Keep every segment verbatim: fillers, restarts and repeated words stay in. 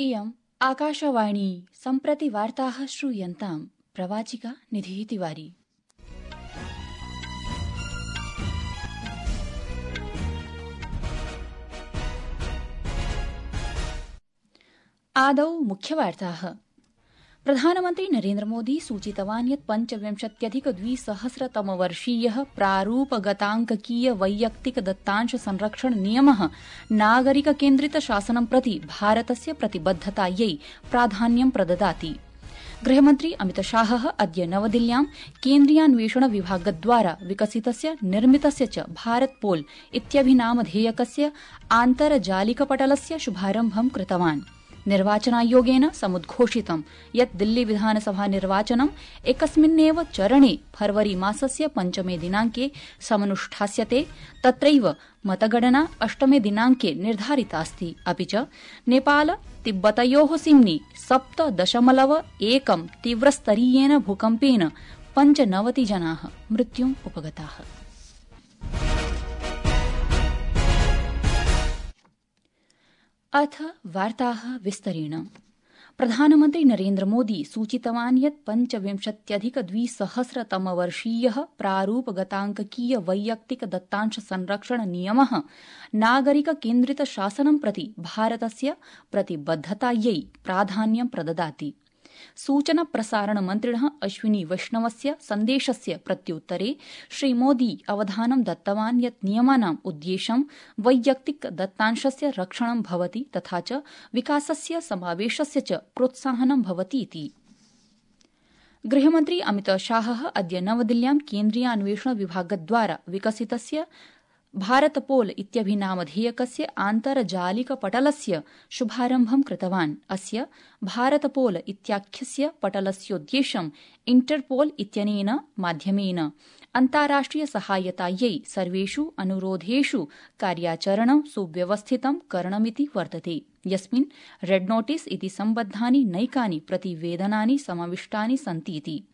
इयम् आकाशवाणी सम्प्रति वार्ताः श्रूयन्ताम् प्रवाचिका निधिः तिवारी। आदौ मुख्यवार्ताः। प्रधानमन्त्री नरेन्द्रमोदी सूचितवान् यत् पञ्चविंशत्यधिक द्विसहस्रतमवर्षीयः प्रारूपगताङ्ककीय वैयक्तिक दत्तांश संरक्षण नियमः नागरिककेन्द्रित शासनं प्रति भारतस्य प्रतिबद्धतायै प्राधान्यं प्रददाति। गृहमन्त्री अमितशाहः अद्य नवदिल्ल्यां केन्द्रीयान्वेषण विभागद्वारा विकसितस्य निर्मितस्य च भारत पोल इत्यभिनामधेयकस्य आन्तर्जालिकपटलस्य शुभारम्भं कृतवान्। निर्वाचनायोगेन समुद्घोषितं यत् दिल्ली विधानसभा निर्वाचनम् एकस्मिन्नेव चरणे फरवरी मासस्य पञ्चमे दिनाङ्के समनुष्ठास्यते। तत्रैव मतगणना अष्टमे दिनाङ्के निर्धारितास्ति। अपि च नेपाल तिब्बतयोः सिम्नि सप्त दशमलव एकं तीव्रस्तरीयेन भूकम्पेन पञ्चनवति जनाः मृत्युम् उपगताः। अथ वार्ताः विस्तरेण। प्रधानमन्त्री नरेन्द्रमोदी सूचितवान् यत् पञ्चविंशत्यधिक द्विसहस्रतमवर्षीयः प्रारूपगताङ्ककीय वैयक्तिक दत्तांश संरक्षण नियमः नागरिककेन्द्रित शासनं प्रति भारतस्य प्रतिबद्धतायै प्राधान्यं प्रददाति। सूचना प्रसारण मन्त्रिणः अश्विनी वैष्णवस्य सन्देशस्य प्रत्युत्तरे श्रीमोदी अवधानं दत्तवान् यत् नियमानाम् उद्देश्यं वैयक्तिक दत्तांशस्य रक्षणं भवति तथा च विकासस्य समावेशस्य च प्रोत्साहनं भवतीति। गृहमन्त्री अमितशाहः अद्य नवदिल्ल्यां केन्द्रीयान्वेषण विभागद्वारा विकसितस्य भारत पोल इत्यभिनामधेयकस्य आन्तर्जालिकपटलस्य शुभारम्भं कृतवान्। अस्य भारत पोल इत्याख्यस्य पटलस्योद्देश्यं इंटरपोल इत्यनेन माध्यमेन अन्ताराष्ट्रिय सहायतायै सर्वेषु अनुरोधेषु कार्याचरणं सुव्यवस्थितं करणमिति वर्तते, यस्मिन् रेड नोटिस इति सम्बद्धानि नैकानि प्रतिवेदनानि समाविष्टानि सन्तीति।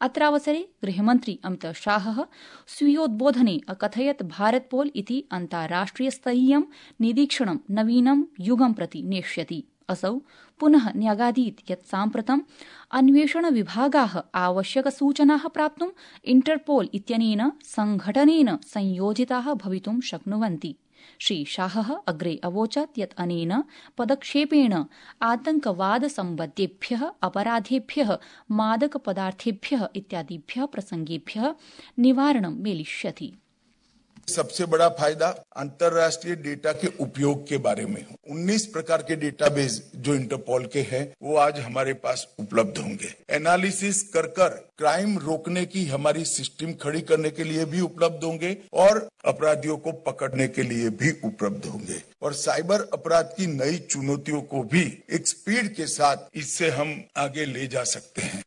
अत्रावसरे गृहमन्त्री अमितशाहः स्वीयोद्बोधने अकथयत् भारत पोल इति अन्ताराष्ट्रियस्तरीयं निरीक्षणं नवीनं युगं प्रति नेष्यति। असौ पुनः न्यगादीत् यत् साम्प्रतं अन्वेषण विभागाः आवश्यकसूचनाः प्राप्तुं इंटरपोल इत्यनेन संघटनेन संयोजिताः भवितुं शक्नुवन्ति। श्रीशाहः अग्रे अवोचत् यत् अनेन पदक्षेपेण आतंकवाद सम्बद्धेभ्यः अपराधेभ्यः मादकपदार्थेभ्यः इत्यादिभ्यः प्रसंगेभ्यः निवारणं मेलिष्यति। सबसे बड़ा फायदा अंतर्राष्ट्रीय डेटा के उपयोग के बारे में हो। उन्नीस प्रकार के डेटाबेस जो इंटरपोल के हैं वो आज हमारे पास उपलब्ध होंगे। एनालिसिस कर कर क्राइम रोकने की हमारी सिस्टम खड़ी करने के लिए भी उपलब्ध होंगे और अपराधियों को पकड़ने के लिए भी उपलब्ध होंगे। और साइबर अपराध की नई चुनौतियों को भी एक स्पीड के साथ इससे हम आगे ले जा सकते हैं।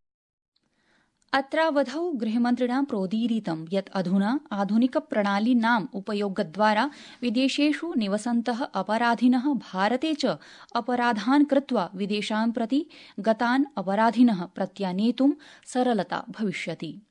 अत्रावधौ गृहमन्त्रिणा प्रोदीरितं यत् अधुना आधुनिक प्रणालीनाम् उपयोगद्वारा विदेशेषु निवसन्तः अपराधिनः भारते च अपराधान् कृत्वा विदेशान् प्रति गतान् अपराधिनः प्रत्यानेतुं सरलता भविष्यति।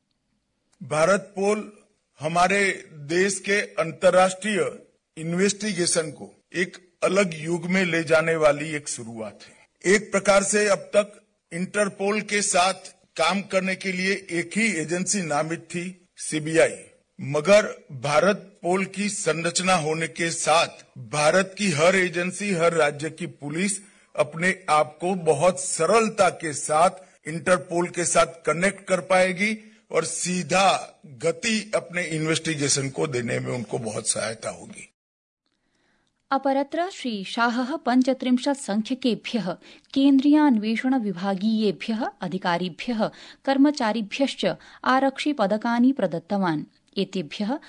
भारत पोल हमारे देश के अंतर्राष्ट्रीय इन्वेस्टिगेशन को एक अलग युग में ले जाने वाली एक शुरुआत है। एक प्रकार से अब तक इंटरपोल के साथ काम करने के लिए एक ही एजेंसी नामित थी, सीबीआई, मगर भारत पोल की संरचना होने के साथ भारत की हर एजेंसी, हर राज्य की पुलिस अपने आप को बहुत सरलता के साथ इंटरपोल के साथ कनेक्ट कर पाएगी और सीधा गति अपने इन्वेस्टिगेशन को देने में उनको बहुत सहायता होगी। अपरत्र श्रीशाहः पञ्चत्रिंशत् संख्यकेभ्यः केन्द्रीयान्वेषण विभागीयेभ्यः अधिकारिभ्यः कर्मचारिभ्यश्च आरक्षिपदकानि प्रदत्तवान्। एतेभ्यः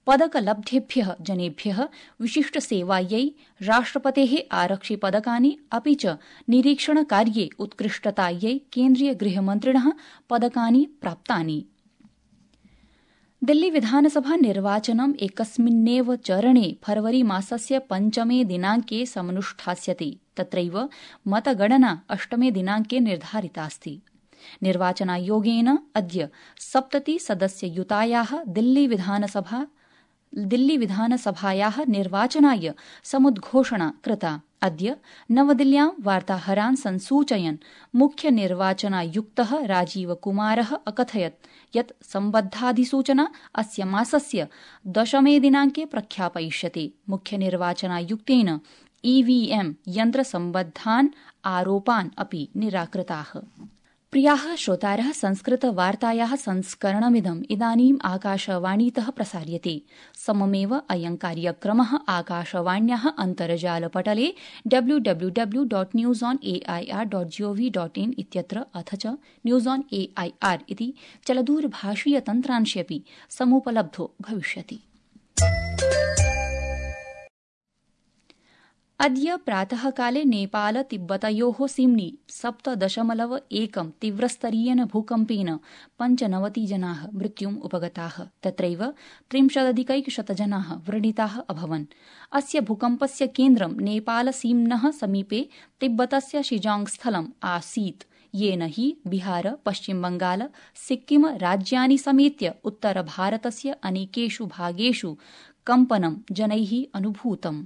पदकलब्धेभ्यः जनेभ्यः विशिष्टसेवायै राष्ट्रपतेः आरक्षिपदकानि अपि च निरीक्षणकार्ये उत्कृष्टतायै केन्द्रीय गृहमन्त्रिणः पदकानि प्राप्तानि। दिल्ली विधानसभा निर्वाचनम् एकस्मिन्नेव चरणे फरवरी मासस्य पञ्चमे दिनाङ्के समनुष्ठास्यते। तत्रैव मतगणना अष्टमे दिनाङ्के निर्धारितास्ति। निर्वाचनायोगेन अद्य सप्तति सदस्ययुतायाः दिल्ली विधानसभा दिल्ली विधानसभायाः निर्वाचनाय समुद्घोषणा कृता। अद्य नवदिल्ल्यां वार्ताहरान् संसूचयन् मुख्य निर्वाचनायुक्तः राजीव कुमारः अकथयत् यत् सम्बद्धाधिसूचना अस्य मासस्य दशमे दिनाङ्के प्रख्यापयिष्यते। मुख्य निर्वाचनायुक्तेन ईवीएम यन्त्रसम्बद्धान् आरोपान् अपि निराकृताः। प्रियाः श्रोतारः, संस्कृतवार्तायाः संस्करणमिदम् इदानीम् आकाशवाणीतः प्रसार्यते। सममेव अयं कार्यक्रमः आकाशवाण्याः अन्तर्जालपटले W W W dot news on A I R dot G O V dot in इत्यत्र अथ च news on A I R इति चलदूरभाषीयतन्त्रांशेऽपि समुपलब्धो भविष्यति। अद्य प्रातःकाले नेपाल तिब्बतयोः सीम्नि सप्त दशमलव एकं तीव्रस्तरीयेन भूकम्पेन पञ्चनवति जनाः मृत्युम् उपगताः। तत्रैव त्रिंशदधिकैकशतजनाः व्रणिताः अभवन्। अस्य भूकम्पस्य केन्द्रं नेपाल सीम्नः समीपे तिब्बतस्य शिजांग स्थलम् आसीत्, येन हि बिहार, पश्चिमबंगाल, सिक्किम राज्यानि समेत्य उत्तरभारतस्य अनेकेषु भागेषु कम्पनं जनैः अनुभूतम्।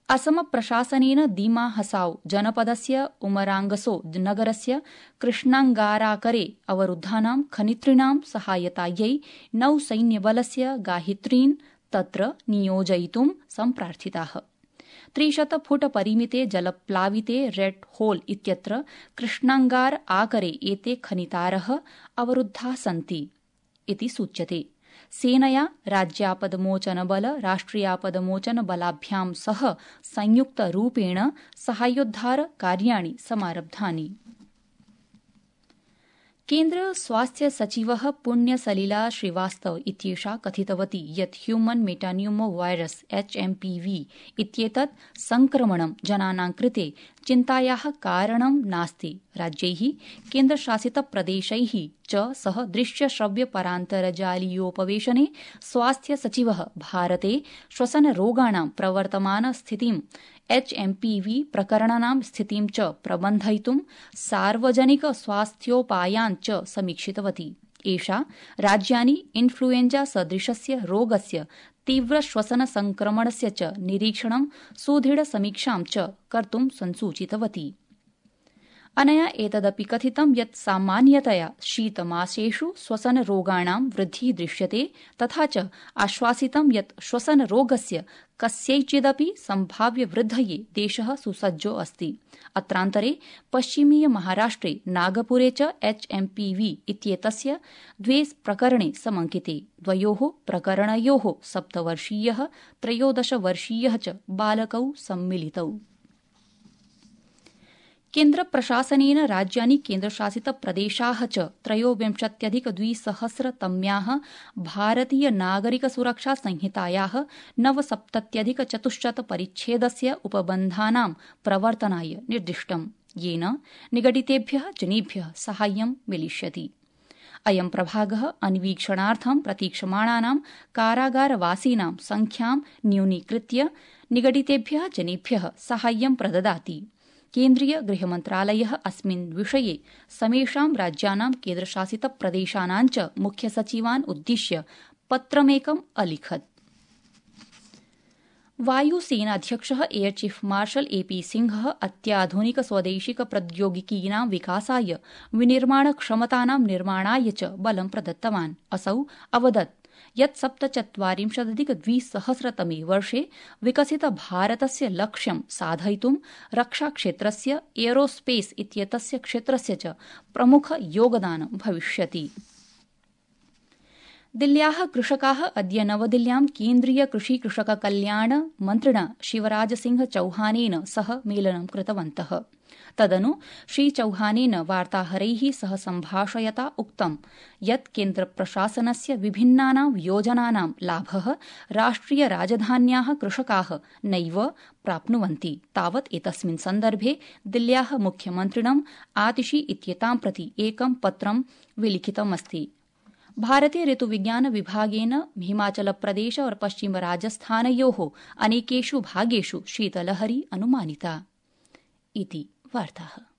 असम प्रशासनेन दीमा हसाओ जनपदस्य उमरांगसो नगरस्य कृष्णांगाराकरे अवरुद्धानां खनित्रिणां सहायतायै नौसैन्यबलस्य गाहित्रीन् तत्र नियोजयितुं सम्प्रार्थिताः। त्रिशत फुट परिमिते जलप्लाविते रेड होल इत्यत्र कृष्णांगार आकरे एते खनितारः अवरुद्धाः सन्ति इति सूच्यते। सेनया राज्यापदमोचनबल राष्ट्रियापदमोचनबलाभ्यां सह संयुक्तरूपेण साहाय्योद्धार कार्याणि समारब्धानि। केन्द्र स्वास्थ्य सचिवः पुण्यसलिला श्रीवास्तव इत्येषा कथितवती यत् human metapneumovirus H M P V इत्येतत् संक्रमणं जनानां कृते चिन्तायाः कारणं नास्ति। राज्यैः केन्द्रशासितप्रदेशैः च सह दृश्यश्रव्यपरान्तर्जालीयोपवेशने स्वास्थ्य सचिवः भारते श्वसनरोगाणां प्रवर्तमानस्थितिं एच एम पी वी प्रकरणानां स्थितिं च प्रबन्धयितुं सार्वजनिक स्वास्थ्योपायान् च समीक्षितवती। एषा राज्यानि इन्फ्लुएंजा सदृशस्य रोगस्य तीव्रश्वसन संक्रमणस्य च निरीक्षणं सुदृढसमीक्षां च कर्तुं संसूचितवती। अनया एतदपि कथितं यत् सामान्यतया शीतमासेषु श्वसनरोगाणां वृद्धिः दृश्यते, तथा च आश्वासितं यत् श्वसनरोगस्य कस्यैचिदपि सम्भाव्यवृद्धये देशः सुसज्जो अस्ति। अत्रान्तरे पश्चिमीय महाराष्ट्रे नागपुरे च एच एम पी वी इत्येतस्य द्वे प्रकरणे समंकिते। द्वयोः प्रकरणयोः सप्तवर्षीयः त्रयोदशवर्षीयः च बालकौ सम्मिलितौ। केन्द्रप्रशासनेन राज्यानि केन्द्रशासितप्रदेशाः च त्रयोविंशत्यधिकद्विसहस्रतम्याः भारतीय नागरिक सुरक्षा संहितायाः नवसप्तत्यधिकचतुश्शत परिच्छेदस्य उपबन्धानां प्रवर्तनाय निर्दिष्टम्, येन निगडितेभ्यः जनेभ्यः साहाय्यं मिलिष्यति। अयं प्रभागः अन्वीक्षणार्थं प्रतीक्षमाणानां कारागारवासीनां संख्यां न्यूनीकृत्य निगडितेभ्यः जनेभ्यः साहाय्यं प्रददाति। केन्द्रीय गृहमन्त्रालयः अस्मिन् विषये समेषां राज्यानां केन्द्रशासितप्रदेशानां च मुख्यसचिवान् उद्दिश्य पत्रमेकम् अलिखत्। वायुसेनाध्यक्षः air chief marshal A P सिंहः अत्याधुनिक स्वदेशिक प्रौद्योगिकीनां विकासाय विनिर्माणक्षमतानां निर्माणाय च बलं प्रदत्तवान्। असौ अवदत् यत् सप्तचत्वारिंशदधिकद्विसहस्रतमे वर्षे विकसित भारतस्य लक्ष्यं साधयितुं रक्षाक्षेत्रस्य एरोस्पेस इत्येतस्य क्षेत्रस्य च प्रमुख योगदानं भविष्यति। दिल्ल्याः कृषकाः अद्य नवदिल्ल्यां केन्द्रीय कृषि कृषक कल्याण मन्त्रिणा शिवराज सिंह चौहानेन सह मेलनं कृतवन्तः। तदनु श्रीचौहानेन वार्ताहरैः सह सम्भाषयता उक्तं यत् केन्द्रप्रशासनस्य विभिन्नानां योजनानां लाभः राष्ट्रिय राजधान्याः कृषकाः नैव प्राप्नुवन्ति। तावत् एतस्मिन् सन्दर्भे दिल्ल्याः मुख्यमन्त्रिणम् आतिशी इत्येतां प्रति एकं पत्रं विलिखितमस्ति। भारतीय ऋतुविज्ञान विभागेन हिमाचलप्रदेश और पश्चिम राजस्थानयोः अनेकेषु भागेषु शीतलहरी अनुमानिता इति वार्ताः।